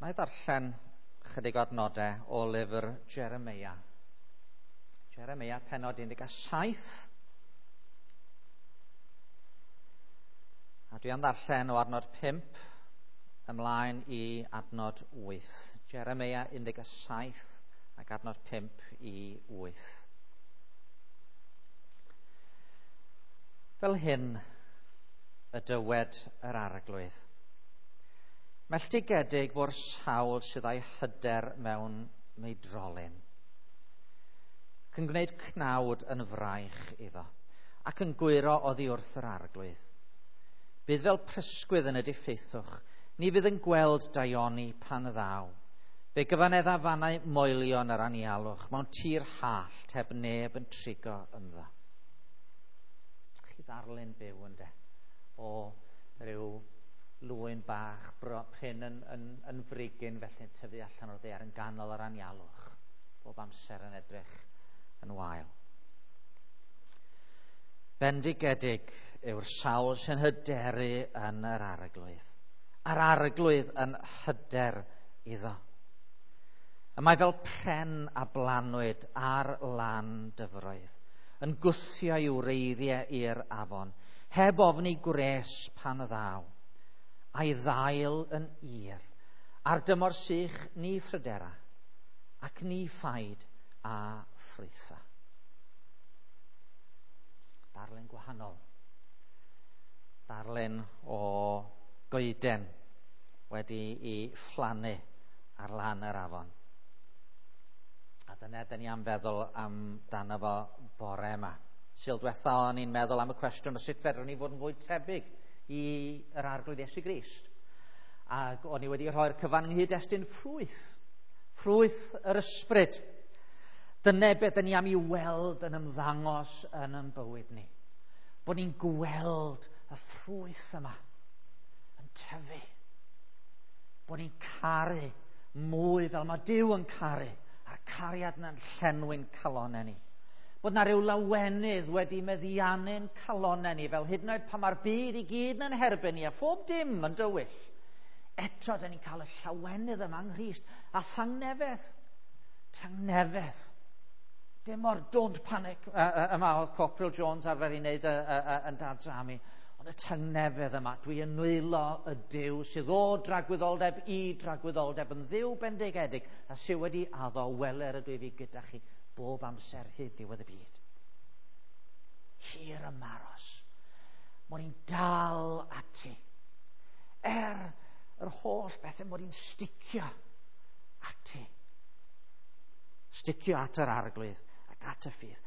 Na i ddarllen chydig o adnodau o lyfr Jeremia. Jeremia penod 17. A dwi am ddarllen o adnod 5 ymlaen i adnod 8. Jeremia 17 ac adnod 5 i 8. Fel hyn y dywed yr arglwydd. Melltigedig fo'r sawl sydd â'i hyder mewn meidrolyn, ac yn gwneud cnawd yn fraich iddo, ac yn gwyro oddi wrth yr arglwydd. Bydd fel prysgwydd yn y diffeithwch, ni fydd yn gweld daioni pan ddaw. Fe gyfanedda fannau moelion yr anialwch, mewn tir hallt heb neb yn trigo ynddo. Chi ddarlun byw ynde, o ryw lwyn bach prin yn frigyn felly'n tyfu allan o'r ddaear yn ganol yr anialwch, bob amser yn edrych yn wael. Bendigedig yw'r sawl sy'n hyderu yn yr arglwydd, a'r arglwydd yn hyder iddo. Y mae fel pren a blanwyd ar lan dyfroedd, yn gwthio i'w wreiddiau i'r afon, heb ofni gwres pan ddaw, a'i ddail yn ir, a'r dymor sych ni phrydera, ac ni phaid a ffrwytha. Darlun gwahanol. Darlun o goeden wedi i phlannu ar lan yr afon. A dyna dyn ni am feddwl amdano fo bore yma. Sul diwetha o'n i'n meddwl am y cwestiwn o sut fedrwn ni fod yn fwy tebyg i yr arglwydd Iesu Grist. Ac o'n i wedi rhoi'r cyfan yng nghyd-destun ffrwyth. Ffrwyth yr ysbryd. Dyna beth dyn ni am i weld yn ymddangos yn ein bywyd ni. Bod ni'n gweld y ffrwyth yma yn tyfu. Bod ni'n caru mwy fel mae Duw yn caru, a'r cariad yna'n llenwi'n calonnau ni. Bod na ryw lawenydd wedi meddiannu'n calonnau ni, fel hyd yn oed pan mae'r byd i gyd yn herbyn ni a phob dim yn dywyll. Eto, dyn ni'n cael y llawenydd yma yng Nghrist a thangnefedd. Tangnefedd. Dim o'r don't panic yma oedd Corporal Jones arfer i wneud yn Dad's Army. Ond y tangnefedd yma, dwi yn nwylo y Duw sydd o dragwyddoldeb i dragwyddoldeb yn Dduw bendigedig a sydd wedi addo weler ydw i fi gyda chi bob amser hyd diwedd y byd. Hir ymaros. Mod i'n dal ati. Er yr holl bethau mod i'n sticio ati. Sticio at yr arglwydd ac at y ffydd.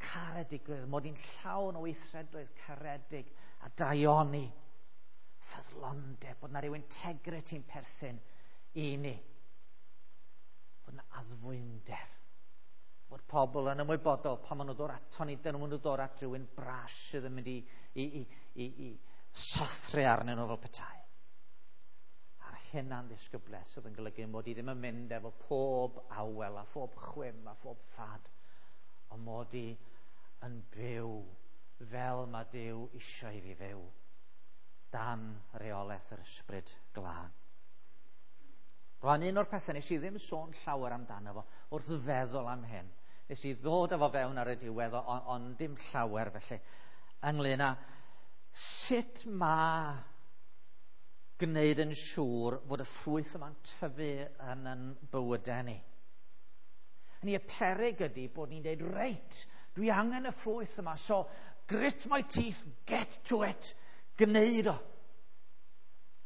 Caredigrwydd, mod i'n llawn o weithredoedd caredig a daioni. Ffyddlondeb, bod na ryw integrity yn perthyn i ni. Bod na addfwynder. Bod pobl yn ymwybodol pan maen nhw'n dod ato ni, dyn nhw'n dod at rhywun bras sydd yn mynd i sathru arnyn nhw fel petai. A'r hunan ddisgyblaeth sydd yn golygu mod i ddim yn mynd efo pob awel a phob chwim a phob ffad, ond mod i yn byw fel mae Duw eisiau i fi fyw, dan reolaeth yr ysbryd glân. Rwan, un o'r pethau nes i ddim sôn llawer amdano fo wrth feddwl am hyn. Nes i ddod efo fewn ar y diwedd, ond dim llawer felly, ynglyn â sut mae gwneud yn siŵr fod y ffrwyth yma'n tyfu yn ein bywydau ni. Ni y peryg ydy bod ni'n dweud, reit, dwi angen y ffrwyth yma, so grit my teeth, get to it, gwneud o.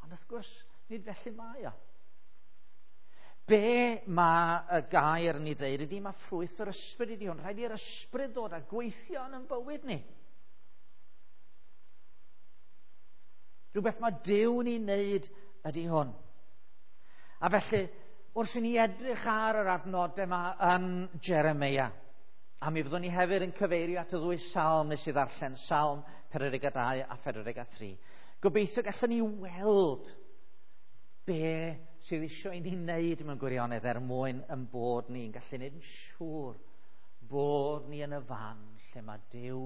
Ond wrth gwrs, nid felly mae o. Be mae y gair ni ddeud ydy mae ffrwyth yr ysbryd ydy hwn. Rhaid i'r ysbryd ddod a gweithio yn ein bywyd ni. Rhywbeth mae Duw ni'n wneud ydy hwn. A felly, wrth i ni edrych ar yr adnodau yma yn Jeremia, a mi fyddwn ni hefyd yn cyfeirio at y ddwy salm nes i ddarllen, Salm 42 a 43. Gobeithio gallwn ni weld be sydd eisiau i ni wneud mewn gwirionedd er mwyn yn bod ni'n gallu gwneud yn siŵr bod ni yn y fan lle mae Duw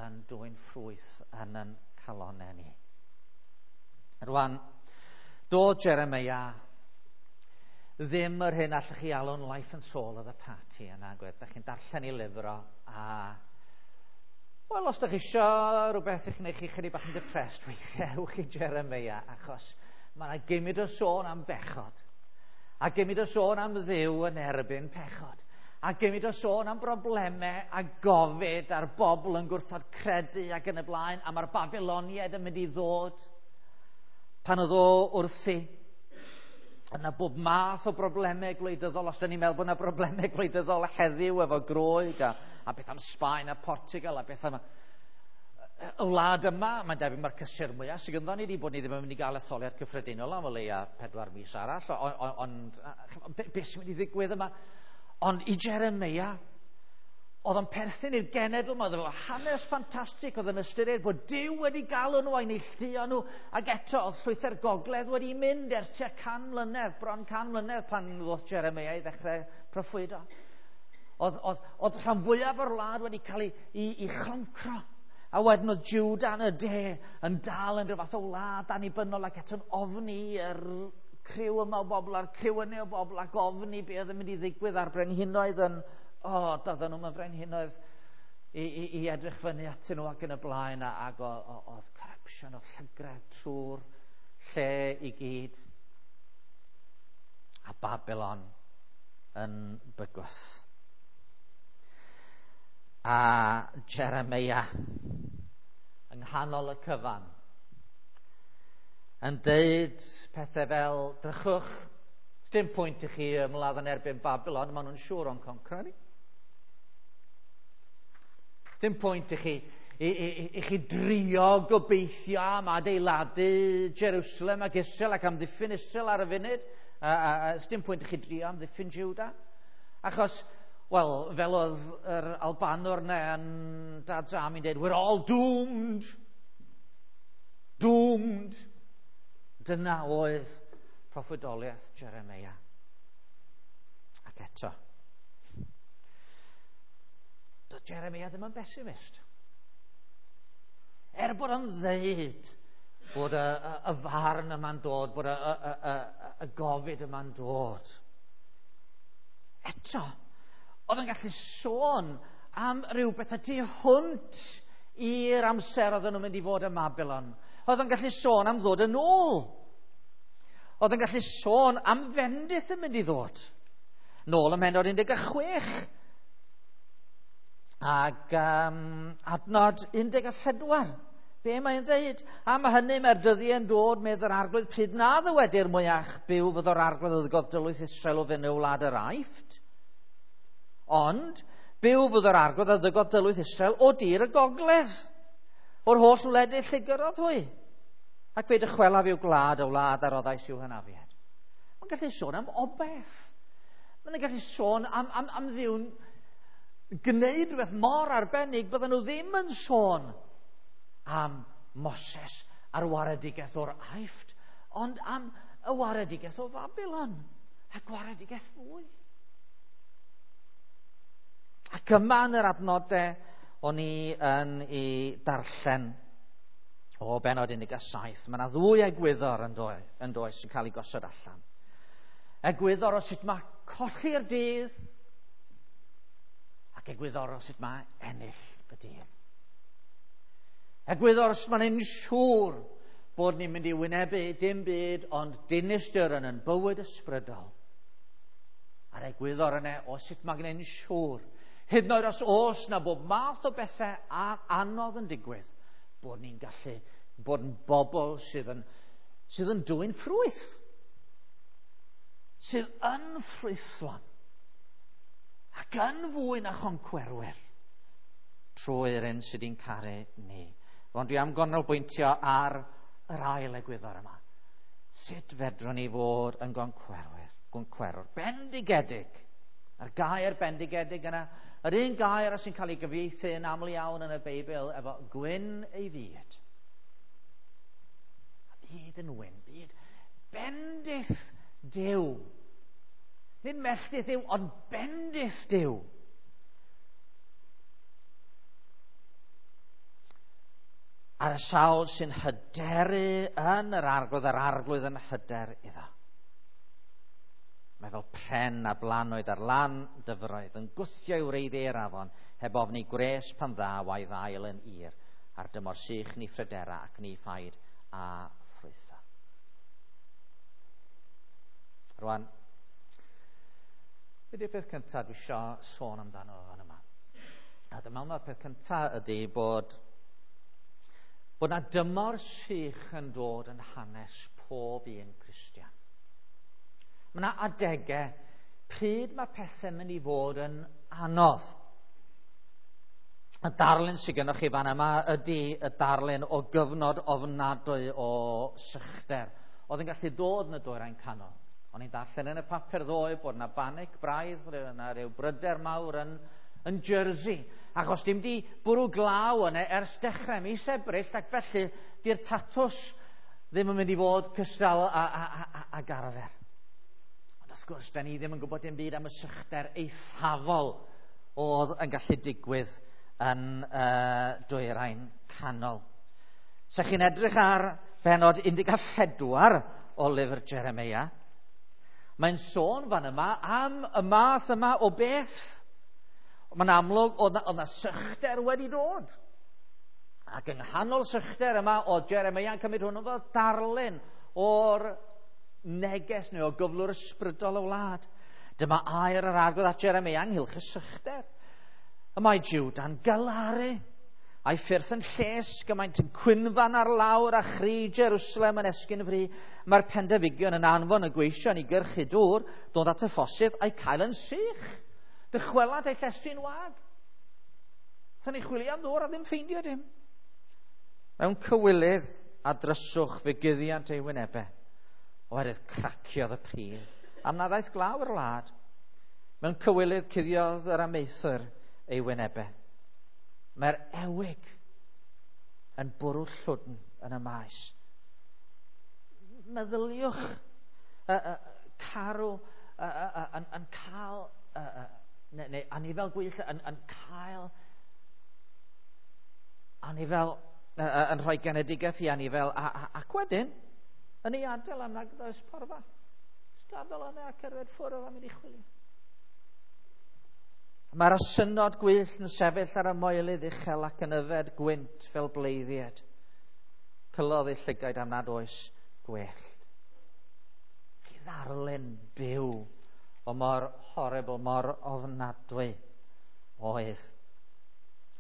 yn dwyn ffrwyth yn ein calonnau ni. Rwan, dod Jeremia Ddim yr hyn allwch chi alw'n life and soul of the party yna, gwed. Da chi'n darllen ei lyfr o, a... Wel, os da chi isio rhywbeth i'ch gwneud chi chydig bach yn depressed, weithiau ewch i Jeremiah, achos mae yna gymryd o sôn am bechod. A gymryd o sôn am Dduw yn erbyn pechod. A gymryd o sôn am broblemau a gofid a'r bobl yn gwrthod credu ac yn y blaen, a mae'r Babiloniaid yn mynd i ddod pan oedd o wrthi. Yna bob math o broblemau gwleidyddol, os da ni'n meddwl bod yna broblemau gwleidyddol heddiw efo Groeg a beth am Sbaen a Portugal a beth am y wlad yma, mae'n debyg mae'r cysur mwyaf sydd gynddon ni wedi bod ni ddim yn mynd i gael etholiad cyffredinol am o leia 4 mis arall, ond beth sy'n mynd i ddigwydd yma? Ond i Jeremiah, oedd o'n perthyn i'r genedl yma, oedd efo hanes ffantastig, oedd yn ystyried bod Duw wedi galw nhw a'i neilltuo nhw, ac eto oedd llwythau'r gogledd wedi mynd ers tua 100 mlynedd, bron 100 mlynedd pan ddoth Jeremiah i ddechrau proffwydo. Oedd rhan fwyaf o'r wlad wedi cael ei choncro. A wedyn oedd Juda yn y de yn dal yn rhyw fath o wlad annibynnol ac eto'n ofni yr criw yma o bobl a'r criw yna o bobl ac ofni be oedd yn mynd i ddigwydd a'r brenhinoedd yn, doedden nhw'n frenhinoedd i edrych fyny atyn nhw ac yn y blaen ac oedd corruption, oedd llygredd trwy'r lle i gyd. A Babylon yn bygwth. A Jeremiah yng nghanol y cyfan yn deud pethau fel, drychwch, dim pwynt i chi ymladd yn erbyn Babylon, maen nhw'n siŵr o'n concro ni. Dim pwynt i chi i chi drio gobeithio am adeiladu Jerusalem ac Israel ac amddiffyn Israel ar y funud. Dim pwynt i chi drio amddiffyn Juda. Achos, wel, fel oedd yr Albanwr yna yn Dad's Army'n dweud, we're all doomed. Doomed. Dyna oedd proffwydoliaeth Jeremiah. Ac eto, doedd Jeremiah ddim yn pessimist. Er bod o'n ddeud bod y farn yma'n dod, bod y gofid yma'n dod. Eto, oedd yn gallu sôn am rhywbeth y tu hwnt i'r amser oedden nhw'n mynd i fod ym Babylon. Oedd yn gallu sôn am ddod yn ôl. Oedd yn gallu sôn am fendith yn mynd i ddod. Nôl ym mhennod 16. Ac adnod 14. Be mae'n dweud? Am hynny mae'r dyddiau yn dod, medd yr arglwydd, pryd na ddywedir mwyach byw fydd o'r arglwydd oedd godylwyth Israel o fyny o wlad yr Aifft. Ond byw fydd o'r arglwydd oedd godylwyth Israel o dir y gogledd, o'r holl wledydd lle gyrrodd hwy. Ac fe dychwelaf i'w gwlad, y wlad a roddais i'w hynafiad. Mae'n gallu sôn am obeth. Mae'n gallu sôn am Dduw'n gwneud rhywbeth mor arbennig bydden nhw ddim yn sôn am Moses a'r waredigaeth o'r Aifft, ond am y waredigaeth o Babylon a gwaredigaeth fwy. Ac yma yn yr adnodau o'n i yn ei darllen o bennod 17, mae yna ddwy egwyddor yn does sy'n cael ei gosod allan. Egwyddor o sut mae colli'r dydd ac egwyddor o sut mae ennill y dydd. Egwyddor os mae'n siŵr bod ni'n mynd i wynebu dim byd ond dinistr yn ein bywyd ysbrydol. A'r egwyddor yna o sut mae gwneud yn siŵr, hyd yn oed os oes na bob math o bethau anodd yn digwydd, bod ni'n gallu bod yn bobl sydd yn dwyn ffrwyth, sydd yn ffrwythlon ac yn fwy na choncwerwyr trwy'r un sydd wedi'n caru ni. Ond dwi am ganolbwyntio ar yr ail egwyddor yma. Sut fedrwn ni fod yn goncwerwr bendigedig? A'r gair bendigedig yna, yr un gair sy'n cael ei gyfieithu yn aml iawn yn y Beibl efo gwyn ei fyd. A byd yn wyn, byd bendith Duw. Nid melltith Duw, ond bendith Duw. Ar y sawl sy'n hyderu yn yr arglwydd, yr arglwydd yn hyder iddo. Mae fel pren a blanoed ar lan dyfroedd, yn gwthio i wreiddiau'r afon, heb ofni gwres pan ddaw a'i ddail yn ir, ar dymor sych ni phrydera ac ni phaid a ffrwytha. Rwan, be di'r peth cyntaf dwi eisiau sôn amdano fan yma? A dyma mae'r peth cyntaf ydy bod 'na dymor sych yn dod yn hanes pob un Cristion. Mae yna adegau pryd mae pethau'n mynd i fod yn anodd. Y darlun sydd gennych chi fan yma ydy y darlun o gyfnod ofnadwy o sychder oedd yn gallu dod yn y Dwyrain Canol. O'n i'n darllen yn y papur ddoe bod yna banic braidd, yna rhyw bryder mawr yn Jersey, achos dim di bwrw glaw yna ers dechrau mis Ebrill, ac felly di'r tatws ddim yn mynd i fod cystal ag arfer. Ond wrth gwrs, da ni ddim yn gwybod dim byd am y sychder eithafol oedd yn gallu digwydd yn Dwyrain Canol. Se chi'n edrych ar benod 14 o lyfr Jeremia, mae'n sôn fan yma am y math yma o beth. Mae'n amlwg oedd yna sychder wedi dod. Ac yng nghanol sychder yma oedd Jeremia yn cymryd hwnnw fel darlun o'r neges neu o gyflwr ysbrydol y wlad. Dyma air yr Arglwydd at Jeremia ynghylch y sychder. Y mae Jwda'n galaru, a'i ffyrdd yn llesg, y maent yn cwynfan ar lawr a chri Jerusalem yn esgyn fri. Mae'r pendefigion yn anfon y gweision i gyrchu dŵr, dod at y ffosydd a'i cael yn sych. Dychwelant eu llestri'n wag. Thyn ni chwilio am ddŵr a ddim ffeindio dim. Mewn cywilydd a dryswch fe guddiant ei wynebau, oherwydd craciodd y pridd, am na ddaeth glaw i'r wlad. Mewn cywilydd cuddiodd yr amaethwr ei wynebau. Mae'r ewig yn bwrw llwdn yn y maes. Meddyliwch, carw yn cael, neu anifel gwyllt yn cael anifel, yn rhoi genedigaeth i anifel, ac wedyn yn ei adael am nag oes porfa. Gadael yna a cerdded ffwrdd a mynd i chwilio. Mae'r asynod gwyllt yn sefyll ar y moelydd uchel ac yn yfed gwynt fel bleiddied. Pylodd ei llygaid am nad oes gwellt. Chi ddarlun byw o mor horrible, mor ofnadwy oedd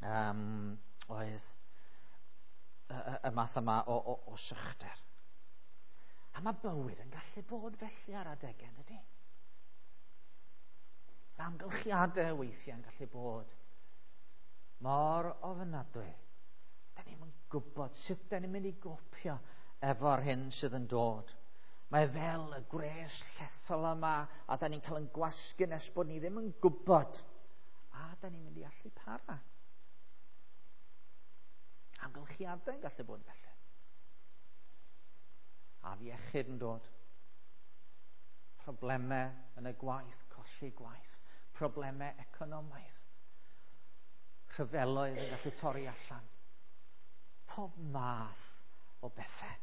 y math yma o sychder. A mae bywyd yn gallu bod felly ar adegau, ydy? Mae amgylchiadau weithiau yn gallu bod mor ofnadwy. Da ni'm yn gwybod sut da ni'n mynd i gopio efo'r hyn sydd yn dod. Mae fel y gwres llethol yma, a da ni'n cael yn gwasgu nes bod ni ddim yn gwybod. A da ni'n mynd i allu para. Amgylchiadau yn gallu bod felly. Afiechyd yn dod. Problemau yn y gwaith, colli gwaith. Problemau economaidd. Rhyfeloedd yn gallu torri allan. Pob math o bethau.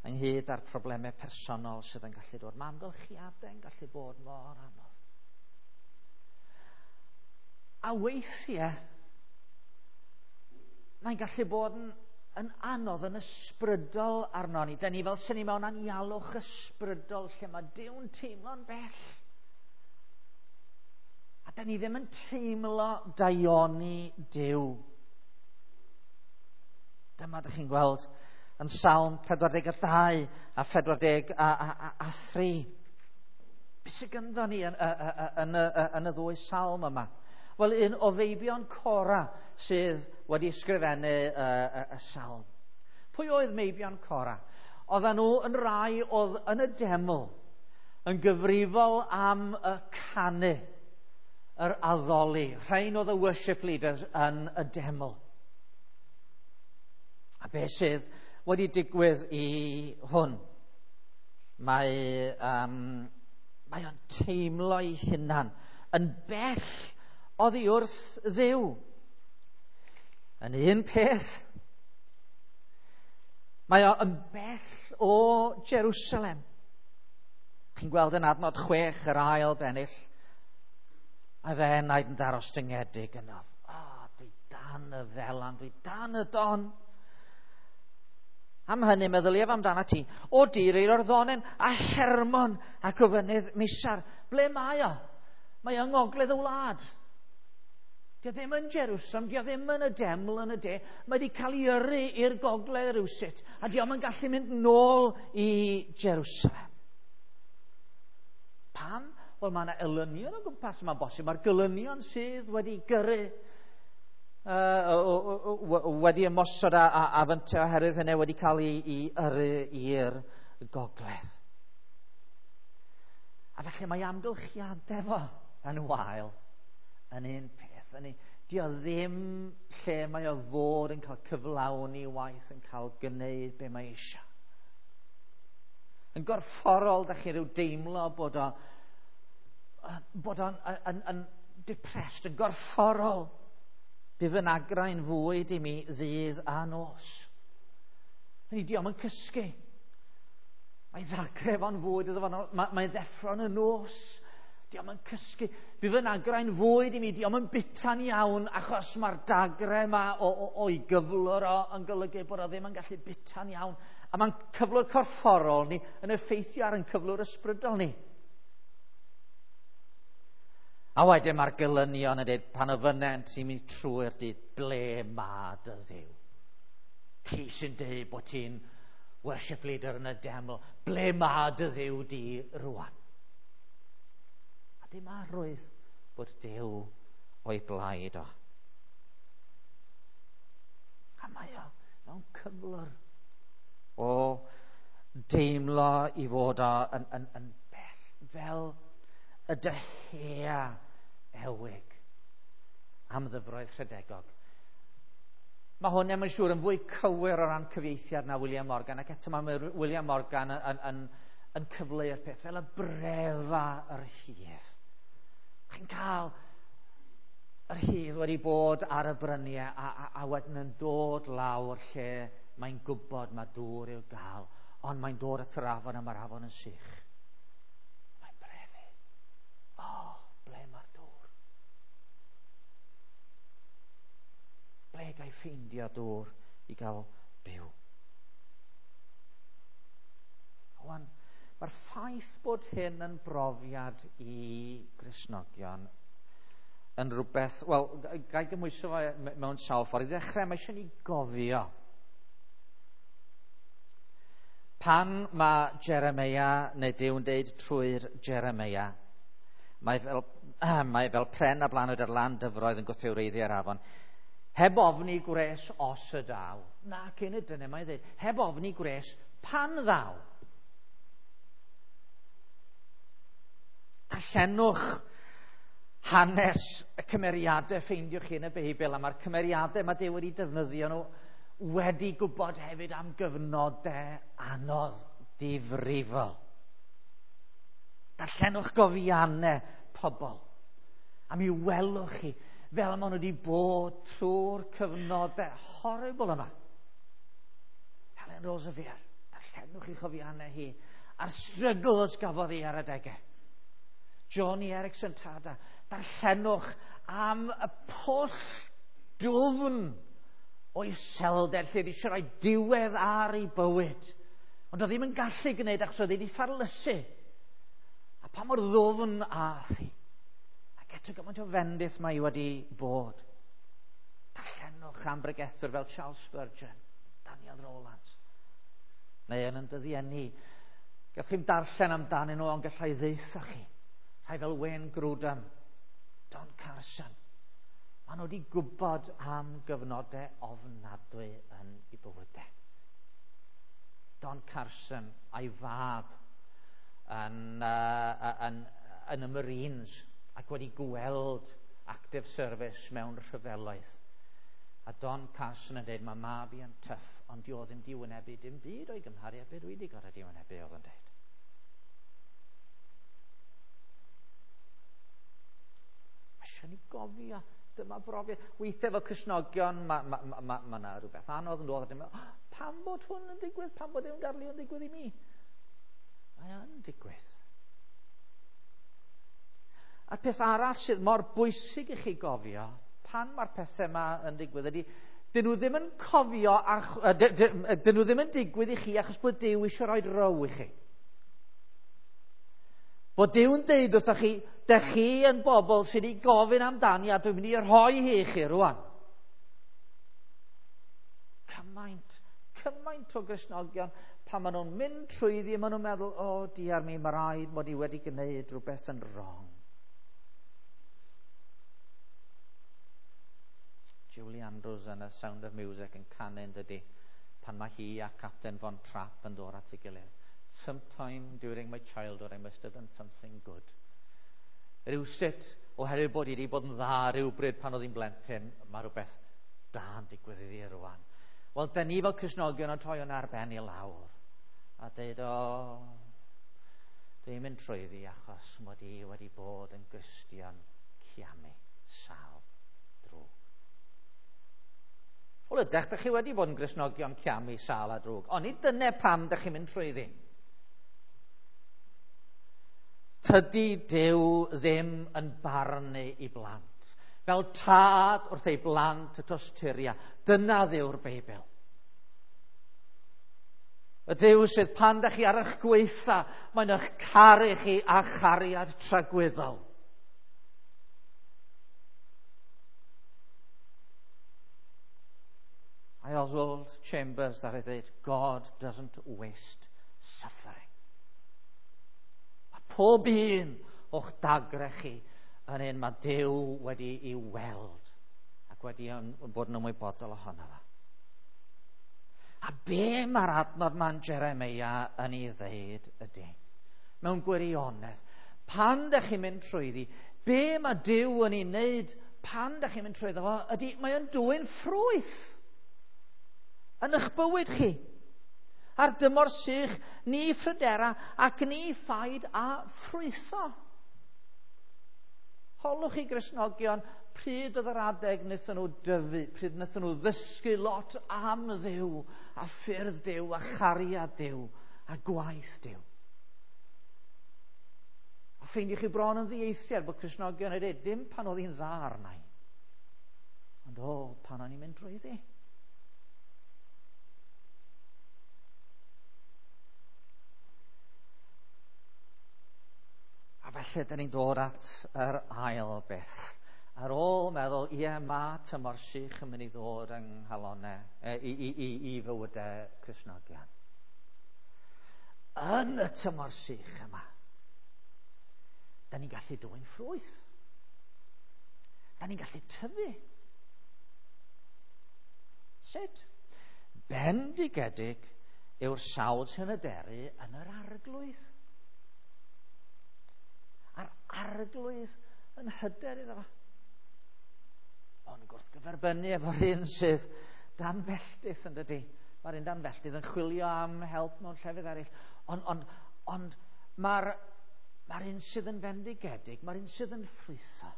Ynghyd â'r problemau personol sydd yn gallu dod. Mae amgylchiadau yn gallu bod mor anodd. A weithiau, mae'n gallu bod yn anodd, yn ysbrydol arno ni. Da ni fel sy'n ni mewn anialwch ysbrydol lle mae Duw'n teimlo'n bell. A da ni ddim yn teimlo daioni Duw. Dyma ydych chi'n gweld yn Salm 42 a 43. Be sydd gynddo ni yn y ddwy salm yma? Wel, un o feibion Cora sydd wedi ysgrifennu y salm. Pwy oedd meibion Cora? Oedden nhw yn rai oedd yn y deml yn gyfrifol am y canu, yr addoli. Rhain oedd y worship leaders yn y deml. A be sydd wedi digwydd i hwn? Mae o'n teimlo ei hunan yn bell oddi wrth Dduw. Yn un peth, mae o yn bell o Jerusalem. Chi'n gweld yn adnod 6 yr ail bennill, a fe enaid yn ddarostyngedig yno. O, dwi dan y felan, dwi dan y don. Am hynny meddyliaf amdana ti, o dir i'r Orddonen a Hermon ac o fynydd Misar. Ble mae o? Mae yng ngogledd y wlad. Dio ddim yn Jerusalem, dio ddim yn y deml yn y de. Mae wedi cael ei yrru i'r gogledd rhywsut, a dio yn gallu mynd nôl i Jerusalem. Pam? Wel, mae yna elynion o gwmpas, mae'n bosib. Mae'r gelynion sydd wedi gyrru, wedi ymosod a fynte oherwydd hynny wedi cael ei yrru i'r gogledd. A felly mae amgylchiadau fo yn wael yn un peth. Dio ddim lle mae o fod yn cael cyflawni waith, yn cael gwneud be mae eisiau. Yn gorfforol, da chi rhyw deimlo bod o'n yn depressed, yn gorfforol. Bydd fy nagrau'n fwyd i mi ddydd a nos. Hynny, dio'm yn cysgu. Mae ddagrau fo'n fwyd iddo fo, mae ddeffro'n y nos. Dio'm yn cysgu. Bydd fy nagrau'n fwyd i mi, dio'm yn bita'n iawn, achos mae'r dagrau yma o'i gyflwr o yn golygu bod o ddim yn gallu bita'n iawn. A mae'n cyflwr corfforol ni yn effeithio ar ein cyflwr ysbrydol ni. A wedyn mae'r gelynion yn dweud, pan ofynnent i mi trwy'r dydd, ble ma dy Dduw? Ti sy'n dweud bod ti'n worship leader yn y deml, ble ma dy Dduw di rwan? A dim arwydd bod Duw o'i blaid o. A mae o mewn cyflwr o deimlo i fod o yn bell, fel y dyhea ewig am ddyfroedd rhedegog. Mae hwn, mae'n siŵr, yn fwy cywir o ran cyfieithiad na William Morgan, ac eto mae William Morgan yn cyfleu'r peth fel y brefa yr hydd. Chi'n cael yr hydd wedi bod ar y bryniau a wedyn yn dod lawr lle mae'n gwybod mae dŵr i'w gael, ond mae'n dod at yr afon a mae'r afon yn sych. Mae'n brefu. O, ble mae'r dŵr? Ble ga i ffeindio dŵr i gael byw? Wan, mae'r ffaith bod hyn yn brofiad i Gristnogion yn rhywbeth, wel, ga i gymhwyso fo mewn sawl ffordd. I ddechrau, mae eisiau ni gofio. Pan mae Jeremeia, neu Duw yn deud trwy'r Jeremeia, mae fel pren a blanwyd ar lan dyfroedd yn gwthio wreiddiau ar afon, heb ofni gwres os y daw. Na, cyn y dyna mae'n dweud, heb ofni gwres pan ddaw. Darllenwch hanes y cymeriadau ffeindiwch chi yn y Beibl, a mae'r cymeriadau mae Duw wedi defnyddio nhw wedi gwybod hefyd am gyfnodau anodd difrifol. Darllenwch gofiannau pobl, a mi welwch chi fel maen nhw wedi bod trwy'r cyfnodau horrible yma. Helen Roseveare, darllenwch chi chofiannau hi, a'r struggles gafodd hi ar adegau. Joni Eareckson Tada, darllenwch am y pwll dwfn o iselder lle wedi eisiau rhoi diwedd ar ei bywyd. Ond oedd ddim yn gallu gwneud achos oedd wedi ffarlysu. A pa mor ddwfn ath hi. Ac eto gymaint o fendith mae hi wedi bod. Darllenwch am bregethwyr fel Charles Spurgeon, Daniel Rowlands, neu yn dyddiau ni. Gallwch chi'm darllen amdanyn nhw, ond gallai ddeutha chi. Rhai fel Wayne Grudem, Don Carson. Maen nhw wedi gwybod am gyfnodau ofnadwy yn eu bywydau. Don Carson a'i fab yn y Marines ac wedi gweld active service mewn rhyfeloedd. A Don Carson yn dweud, mae mab i yn tough, ond di o ddim di wynebu dim byd o'i gymharu â beth dwi wedi gorfod di wynebu, oedd yn dweud. Mae eisiau ni gofio, dyma brofiad. Weithiau fel Cristnogion, ma 'na rhywbeth anodd yn dod, a dim, oh, pam bod hwn yn digwydd, pam bod hwn gadw yn digwydd i mi? Mae yn digwydd. A'r peth arall sydd mor bwysig i chi gofio pan mae'r pethau yma yn digwydd ydy, dyn nhw ddim yn cofio, dyn nhw ddim yn digwydd i chi achos bod Duw eisiau rhoi row i chi. Bod Duw'n deud wrthych chi, dych chi yn bobl sydd wedi gofyn amdani a dwi'n mynd i rhoi hi i chi rwan. Cymaint, cymaint o Gristnogion pan maen nhw'n mynd trwyddi, maen nhw'n meddwl, o, oh, diar mi, mae rhaid mod i wedi gwneud rhywbeth yn wrong. Julie Andrews yn y Sound of Music yn canu yn dydy, pan mae hi a Captain Von Trapp yn dod at ei gilydd. Sometime during my childhood I must have done something good. Rhywsut, oherwydd bod i wedi bod yn dda rhywbryd pan oedd hi'n blentyn, mae rhywbeth da yn digwydd iddi rwan. Wel, da ni fel Cristnogion yn troi hwnna ar ben i lawr a deud, o, dwi'n mynd trwyddi achos mod i wedi bod yn Gristion ciamu, sal, drwg. Wel, ydych, dych chi wedi bod yn Gristnogion ciamu, sal a drwg, ond nid dyna pam dych chi'n mynd trwyddi. Tydi Duw ddim yn barnu i blant. Fel tad wrth ei blant y tosturia. Dyna Dduw'r Beibl. Y Duw sydd pan dych chi ar eich gweitha, mae'n eich caru chi a chariad tragwyddol. I Oswald Chambers ddaru ddweud, God doesn't waste suffering. Mae pob un o'ch dagrau chi yn un mae Duw wedi ei weld ac wedi bod yn ymwybodol ohono fo. A be mae'r adnod ma'n Jeremia yn ei ddeud ydy, mewn gwirionedd, pan dych chi'n mynd trwyddi, be mae Duw yn ei wneud pan dych chi'n mynd trwyddo fo, ydy mae o'n dwyn ffrwyth yn eich bywyd chi. Ar dymor sych, ni phrydera ac ni phaid a ffrwytho. Holwch chi Gristnogion, pryd oedd yr adeg wnaethon nhw dyfu, pryd wnaethon nhw ddysgu lot am Dduw, a ffyrdd Duw, a chariad Duw, a gwaith Duw. A ffeindiwch chi bron yn ddieithiad bod Cristnogion yn dweud, dim pan oedd hi'n dda arna i, ond o, pan o'n i'n mynd drwyddi. A felly, dyn ni'n dod at yr ail beth. Ar ôl meddwl, ie, mae tymor sych yn mynd i ddod yng nghalonau, i, i, i, i fywydau Cristnogion. Yn y tymor sych yma, da ni'n gallu dwyn ffrwyth. Da ni'n gallu tyfu. Sut? Bendigedig yw'r sawl sy'n hyderu yn yr Arglwydd. A'r Arglwydd yn hyder iddo fo. Ond gwrthgyferbynnu efo'r un sydd dan felltith yn dydy. Mae'r un dan felltith yn chwilio am help mewn llefydd eraill. Ond, ond, ond mae'r mae'r un sydd yn fendigedig, mae'r un sydd yn ffrwytho.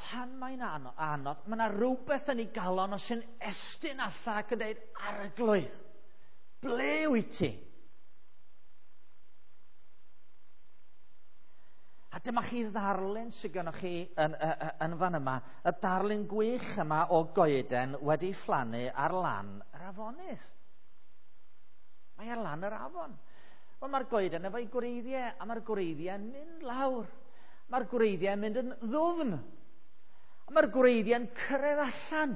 Pan mae'n anodd, mae yna rhywbeth yn ei galon o sy'n estyn allan ac yn dweud, Arglwydd, ble wyt ti? A dyma chi ddarlun sydd gennych chi yn, yn, yn fan yma, y darlun gwych yma o goeden wedi phlannu ar lan yr afonydd. Mae ar lan yr afon. Wel, mae'r goeden efo'i gwreiddiau, a mae'r gwreiddiau'n mynd lawr. Mae'r gwreiddiau'n mynd yn ddwfn. A mae'r gwreiddiau'n cyrraedd allan.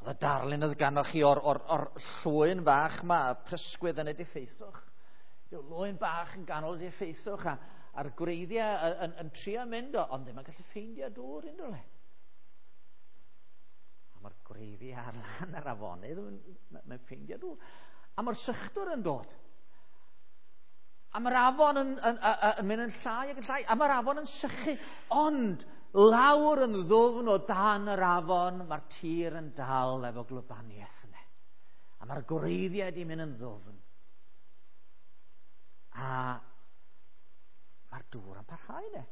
Oedd y darlun oedd ganoch chi o'r, or, or llwyn fach yma, y prysgwydd yn y diffeithwch. Rhyw lwyn bach yn ganol y diffeithwch a, a'r gwreiddiau yn, yn, yn trio mynd o, ond ddim yn gallu ffeindio dŵr unrhyw le. A mae'r gwreiddiau ar lan yr afonydd, mae'n ffeindio dŵr. A mae'r sychdwr yn dod. A mae'r afon yn, yn, yn, yn mynd yn llai ac yn llai, a mae'r afon yn sychu. Ond lawr yn ddwfn o dan yr afon, mae'r tir yn dal efo glwbaniaeth yna. A mae'r gwreiddiau wedi mynd yn ddwfn. A mae'r dŵr yn parhau ne.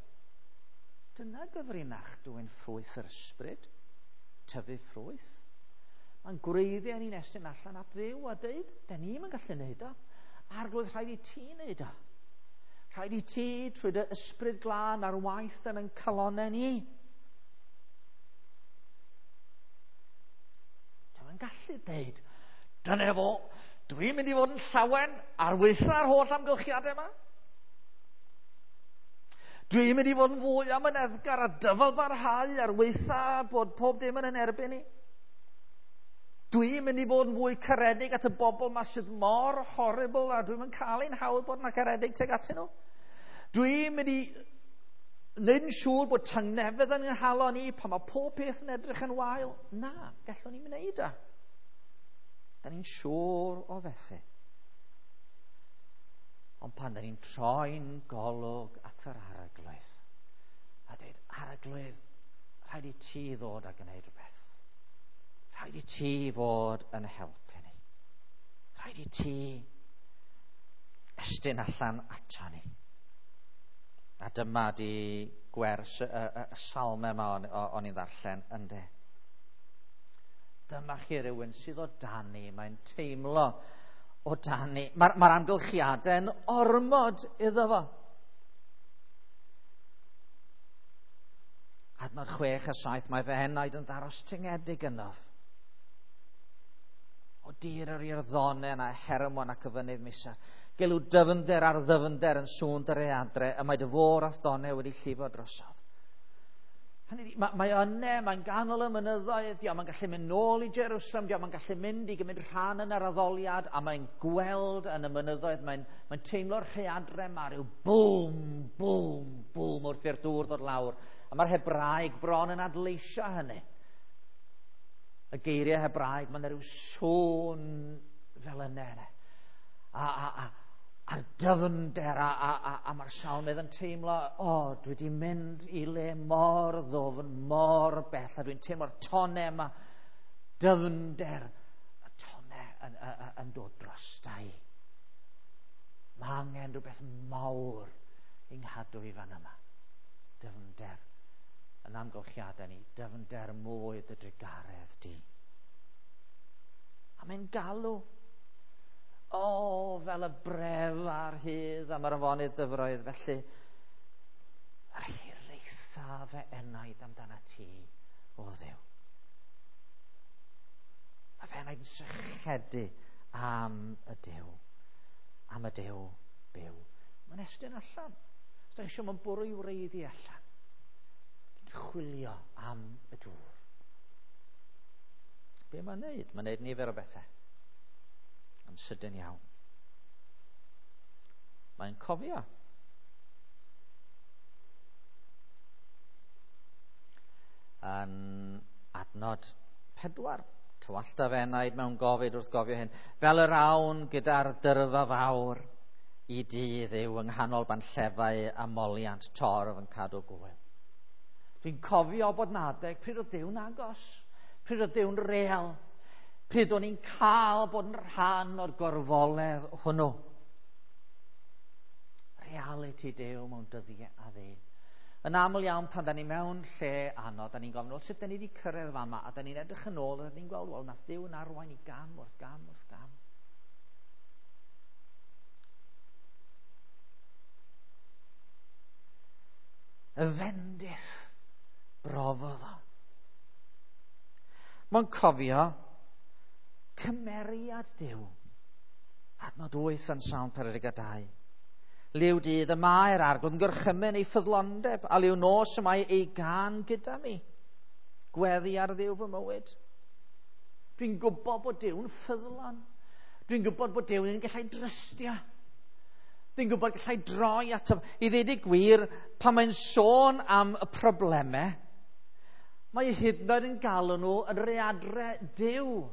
Dyna gyfrinach dwyn ffrwyth yr ysbryd, tyfu ffrwyth. Mae'n gwreiddiau ni'n estyn allan at Dduw a dweud, da ni'm yn gallu neud o. Arglwydd, rhaid i ti neud o. Rhaid i ti, trwy dy ysbryd glân ar waith yn ein calonnau ni. Dwi'n gallu deud, dyna fo, dwi'n mynd i fod yn llawen ar weitha'r holl amgylchiadau yma. Dwi'n mynd i fod yn fwy amyneddgar a dyfal barhau ar weitha bod pob dim yn erbyn i. Dwi'n mynd i fod yn fwy caredig at y bobl yma sydd mor horrible a dwi'n mynd cael ein hawdd bod yna caredig tuag atyn nhw. Dwi'n mynd i wneud yn siŵr bod tangnefedd yn nghalon i pan mae pob peth yn edrych yn wael. Na, gallwn ni'n wneud o. Da ni'n siŵr o fethu. Ond pan da ni'n troi'n golwg at yr Arglwydd a dweud, Arglwydd, rhaid i ti ddod a gwneud rhywbeth. Rhaid i ti fod yn helpu ni. Rhaid i ti estyn allan ato ni. A dyma di gwers y salmau yma o'n i'n ddarllen ynde. Dyma chi rhywun sydd o dan ni, mae'n teimlo o dan ni. Mae'r amgylchiadau'n ormod iddo fo. Adnod 6 a 7, mae fy enaid yn ddarostyngedig ynof. O dir yr Iorddonen a Hermon ac y fynydd Misar. Gelw dyfnder ar ddyfnder yn sŵn dy readre, y mae dy fôr a'th donau wedi llifo drosodd. Hynny ydi, mae yne, mae'n ganol y mynyddoedd, dio, mae'n gallu mynd nôl i Jerusalem, dio, mae'n gallu mynd i gymryd rhan yn yr addoliad, a mae'n gweld yn y mynyddoedd, mae'n teimlo'r rhaeadre yma, rhyw bwm, bwm, bwm wrth i'r dŵr ddod lawr. A mae'r Hebraeg bron yn adleisio hynny. Y geiriau Hebraeg, mae'n rhyw sŵn fel yna. A'r dyfnder, a mae'r salmydd yn teimlo, o, dwi wedi mynd i le mor ddwfn, mor bell, a dwi'n teimlo'r tonau yma, dyfnder, y tonau yn dod drosta i. Mae angen rhywbeth mawr i'n nghadw i fan yma. Dyfnder yn amgylchiadau ni, dyfnder mwy dy drugaredd di. A mae'n galw. O, fel y bref a'r hydd am yr afonydd dyfroedd, felly yr hiraetha fy enaid amdana ti, o Dduw. Mae fy enaid yn sychedu am y Duw, am y Duw byw. Mae'n estyn allan. Os da eisiau, mae'n bwrw i wreiddi allan. Dwi'n chwilio am y dŵr. Be mae'n neud? Mae'n neud nifer o bethau. Yn sydyn iawn. Mae'n cofio. Yn adnod 4, tywallta fy enaid mewn gofid wrth gofio hyn, fel yr awn gyda'r dyrfa fawr i dydd yw yng nghanol banllefau a moliant torf yn cadw gwyl. Dwi'n cofio bod 'na adeg pryd oedd Duw'n agos, pryd oedd Duw'n real, pryd o'n i'n cael bod yn rhan o'r gorfoledd hwnnw. Reality Duw mewn dyddiau a fe. Yn aml iawn pan da ni mewn lle anodd, da ni'n gofyn, wel, sut da ni wedi cyrraedd fama? A da ni'n edrych yn ôl a da ni'n gweld, wel, nath Duw yn arwain i gam wrth gam wrth gam. Y fendith brofodd o. Mae'n cofio cymeriad Duw. Adnod 8 yn Salm 42. Liw dydd y mae'r Arglwydd yn gorchymyn ei ffyddlondeb, a liw nos y mae ei gân gyda mi. Gweddi ar Dduw fy mywyd. Dwi'n gwybod bod Duw'n ffyddlon. Dwi'n gwybod bod Duw'n un gallai drystio. Dwi'n gwybod gallai droi ato. I ddweud y gwir, pan mae'n sôn am y problemau, mae hyd yn oed yn galw nhw yn readre Duw.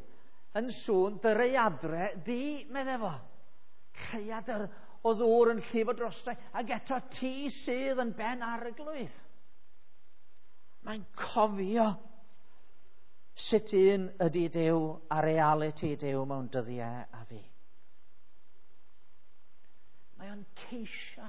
Yn sŵn dy readre di, meddai fo. Rhaeadr o ddŵr yn llifo drostai, ac eto ti sydd yn ben arglwydd. Mae'n cofio sut un ydy Duw a reality Duw mewn dyddiau a fi. Mae o'n ceisio.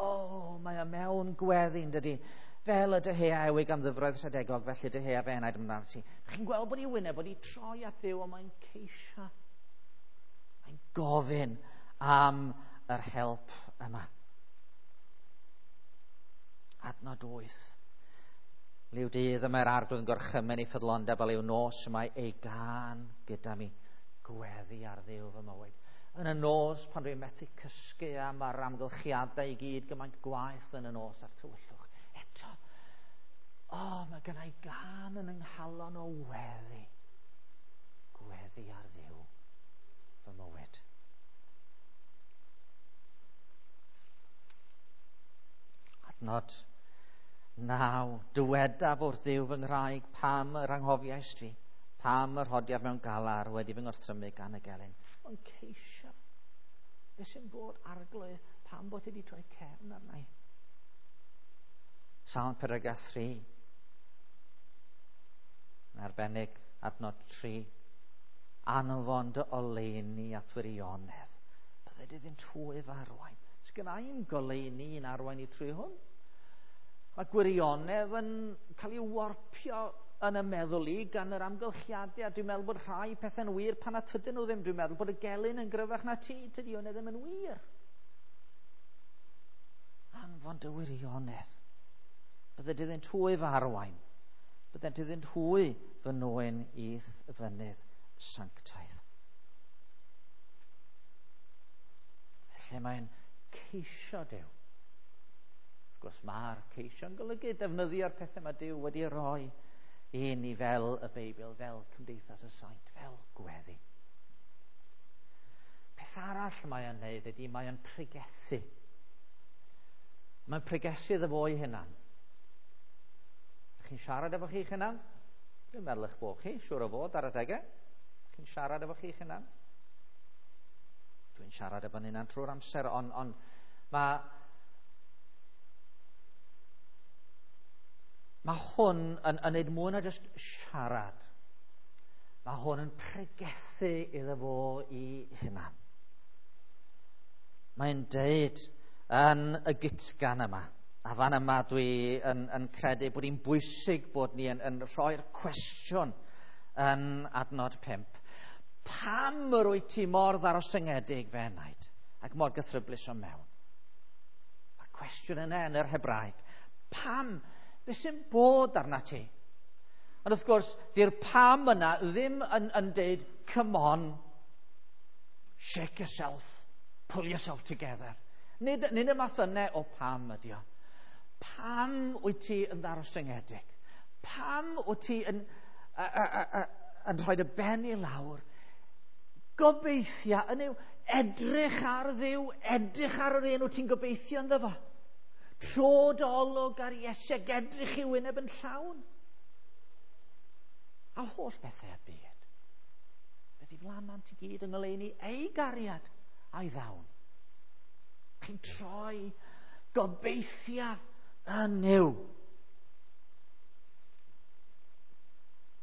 O, mae o mewn gweddi, yn dydy. Fel y dyhea ewig am ddyfroedd rhedegog, felly dyhea fe enaid amdano ti. Chi'n gweld bod ei wyneb wedi troi at Dduw, ond mae'n ceisio. Mae'n gofyn am yr help yma. Adnod 8. Liw dydd y mae'r Arglwydd yn gorchymyn ei ffyddlondeb, a liw nos y mae ei gân gyda mi. Gweddi ar Dduw fy mywyd. Yn y nos, pan dwi'n methu cysgu a mae'r amgylchiadau i gyd gymaint gwaeth yn y nos a'r tywyllwch. Eto, mae gen i gân yn yng nghalon o weddi. Gweddi ar Dduw fy mywyd. Adnod 9. Dywedaf wrth Dduw fy nghraig, pam yr anghofiaist fi, pam yr rhodiaf mewn galar wedi fy ngorthrymu gan y gelyn. Mae'n ceisio. Be sy'n bod, Arglwydd, pam bod ti wedi troi cefn arna i? Salm 43. Yn arbennig, adnod 3. Anfon dy oleuni at wirionedd. Bydde di ddim trwy fy arwain. Sgynna i'm goleuni i'n arwain i trwy hwn. Mae gwirionedd yn cael ei warpio yn y meddwl i gan yr amgylchiadau, a dwi'n meddwl bod rhai pethau'n wir pan na tydyn nhw ddim. Dwi'n meddwl bod y gelyn yn gryfach na ti, tydi hwnna ddim yn wir. Anfon dy wirionedd. Bydde di ddim hwy fy arwain. Bydde di ddim hwy fy nwyn i'th fynydd sanctaidd. Felly mae'n ceisio Duw. Wrth gwrs, mae'r ceisio'n golygu defnyddio'r pethau mae Duw wedi rhoi i ni fel y Beibl, fel Cymdeithas y Saint, fel gweddi. Peth arall mae o'n neud ydy mae o'n pregethu. Mae'n pregethu iddo fo ei hunan. Ydych chi'n siarad efo chi'ch hunan? Dwi'n meddwl eich bod chi, siŵr o fod ar adegau. Chi'n siarad efo chi'ch hunan? Dwi'n siarad efo'n hunan trwy'r amser, ond mae hwn yn neud mwy na jyst siarad. Mae hwn yn pregethu iddo fo i hunan. Mae'n deud yn y gytgan yma, a fan yma dwi yn credu bod hi'n bwysig bod ni yn rhoi'r cwestiwn yn adnod 5. Pam yr wyt ti mor ddarostyngedig fe enaid ac mor gythryblus o mewn? Mae'r cwestiwn yna yn yr Hebraeg. Pam? Be sy'n bod arna ti? Ond wrth gwrs, di'r pam yna ddim yn deud, come on, shake yourself, pull yourself together. Nid y math yna o pam ydi o. Pam wyt ti yn ddarostyngedig? Pam wyt ti yn rhoi dy ben i lawr? Gobeithia yn yw edrych ar Dduw, edrych ar yr un wyt ti'n gobeithio ynddo fo. Tro dy olwg ar Iesu ac edrych i'w wyneb yn llawn. A holl bethau y byd. Beth i flanant i gyd yng ngoleuni ei gariad a'i ddawn. Chi'n troi gobeithia yn Nuw.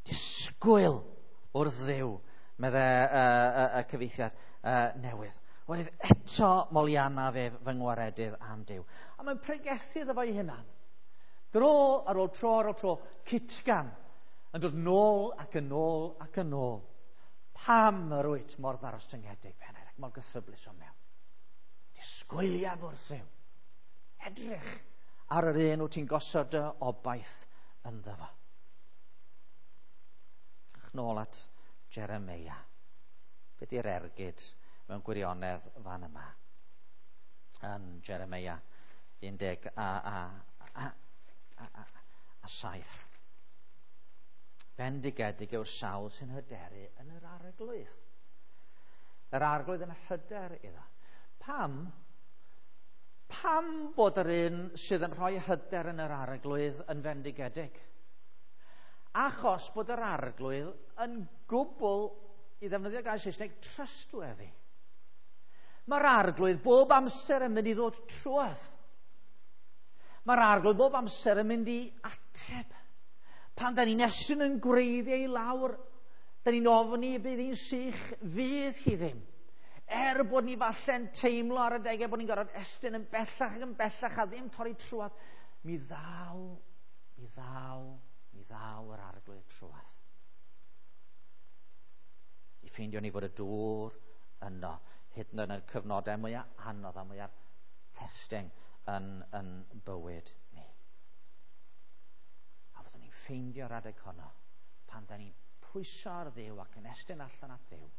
Disgwyl wrth Dduw, medde y cyfieithiad newydd. Oherwydd eto molianna fe fy ngwaredydd am Duw. A mae'n pregethu iddo fo'i hunan. Dro ar ôl tro ar ôl tro, cytgan yn dod nôl ac yn ôl ac yn ôl. Pam yr wyt mor ddarostyngedig, Pennaeth, ac mor gythryblus o mewn? Disgwyliaf wrth Dduw. Edrych ar yr un wyt ti'n gosod dy obaith ynddo fo. Ach, nôl at Jeremeia. Be di'r ergyd mewn gwirionedd fan yma? Yn Jeremeia 17. Bendigedig yw'r sawl sy'n hyderu yn yr Arglwydd. Yr Arglwydd yn hyder iddo. Pam? Pam bod yr un sydd yn rhoi hyder yn yr Arglwydd yn fendigedig? Achos bod yr Arglwydd yn gwbl, i ddefnyddio gair Saesneg, trustworthy. Mae'r Arglwydd bob amser yn mynd i ddod trwodd. Mae'r Arglwydd bob amser yn mynd i ateb. Pan da ni'n estyn yn gwreiddiau i lawr, da ni'n ofni y bydd hi'n sych, fydd hi ddim. Er bod ni falle'n teimlo ar adegau bod ni'n gorfod estyn yn bellach ac yn bellach a ddim torri trwodd, mi ddaw yr Arglwydd trwodd. I ffeindio ni fod y dŵr yno, hyd yn oed yn y cyfnodau mwyaf anodd a mwyaf testing yn bywyd ni. ffeindio'r adeg honno, pan da ni'n pwyso ar Dduw ac yn estyn allan at Dduw,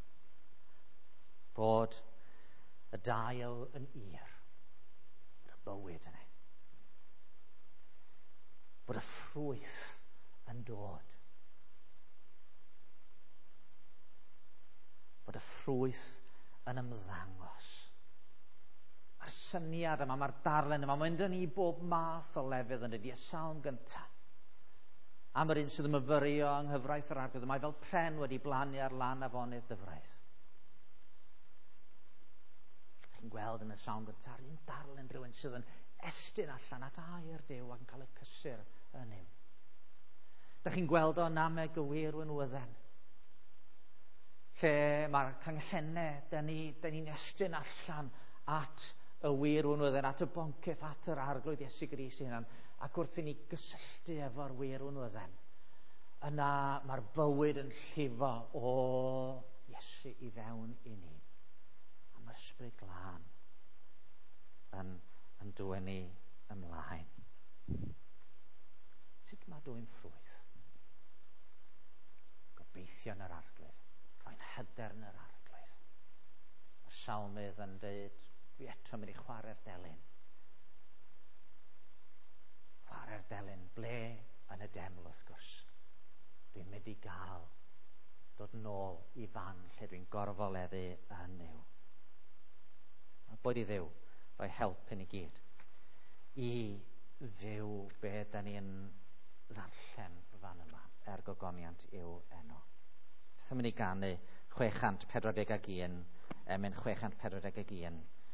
bod y dail yn ir, bod y bywyd yna, bod y ffrwyth yn dod, bod y ffrwyth yn ymddangos. Mae'r syniad yma, mae'r darllen yma, mae'n mynd ni bob math o lefydd yn dydi, y salm gyntaf. Am yr un sydd yn myfyrio yng nghyfraith yr Arglwydd, mae fel pren wedi blannu ar lan afonydd dyfraith. Chi'n gweld yn y salm gyntaf, un darllen rhywun sydd yn estyn allan at air Duw ac yn cael y cysur yn yw. Da chi'n gweld o nameg y wir winwydden, lle mae'r canghennau, da ni'n estyn allan at y wir winwydden, at y boncyff, at yr Arglwydd Iesu Grist ei hunan, ac wrth i ni gysylltu efo'r wir winwydden, yna mae'r bywyd yn llifo o Iesu i fewn i ni. A mae'r Ysbryd Glân yn dwyn ni ymlaen. Sut mae dwyn ffrwyth? Gobeithio yn yr Arglwydd. Rhoi'n hyder yn yr Arglwydd. Mae'r salmydd yn dweud, dwi eto mynd i chwarae'r delyn. Chwarae'r delyn, ble? Yn y deml, wrth gwrs. Dwi'n mynd i gael dod nôl i fan lle dwi'n gorfoleddu yn Nuw. A boed i Dduw rhoi help i ni gyd i fyw be da ni'n ddarllen fan yma er gogoniant i'w enw. Beth am i ni ganu 641, emyn 641,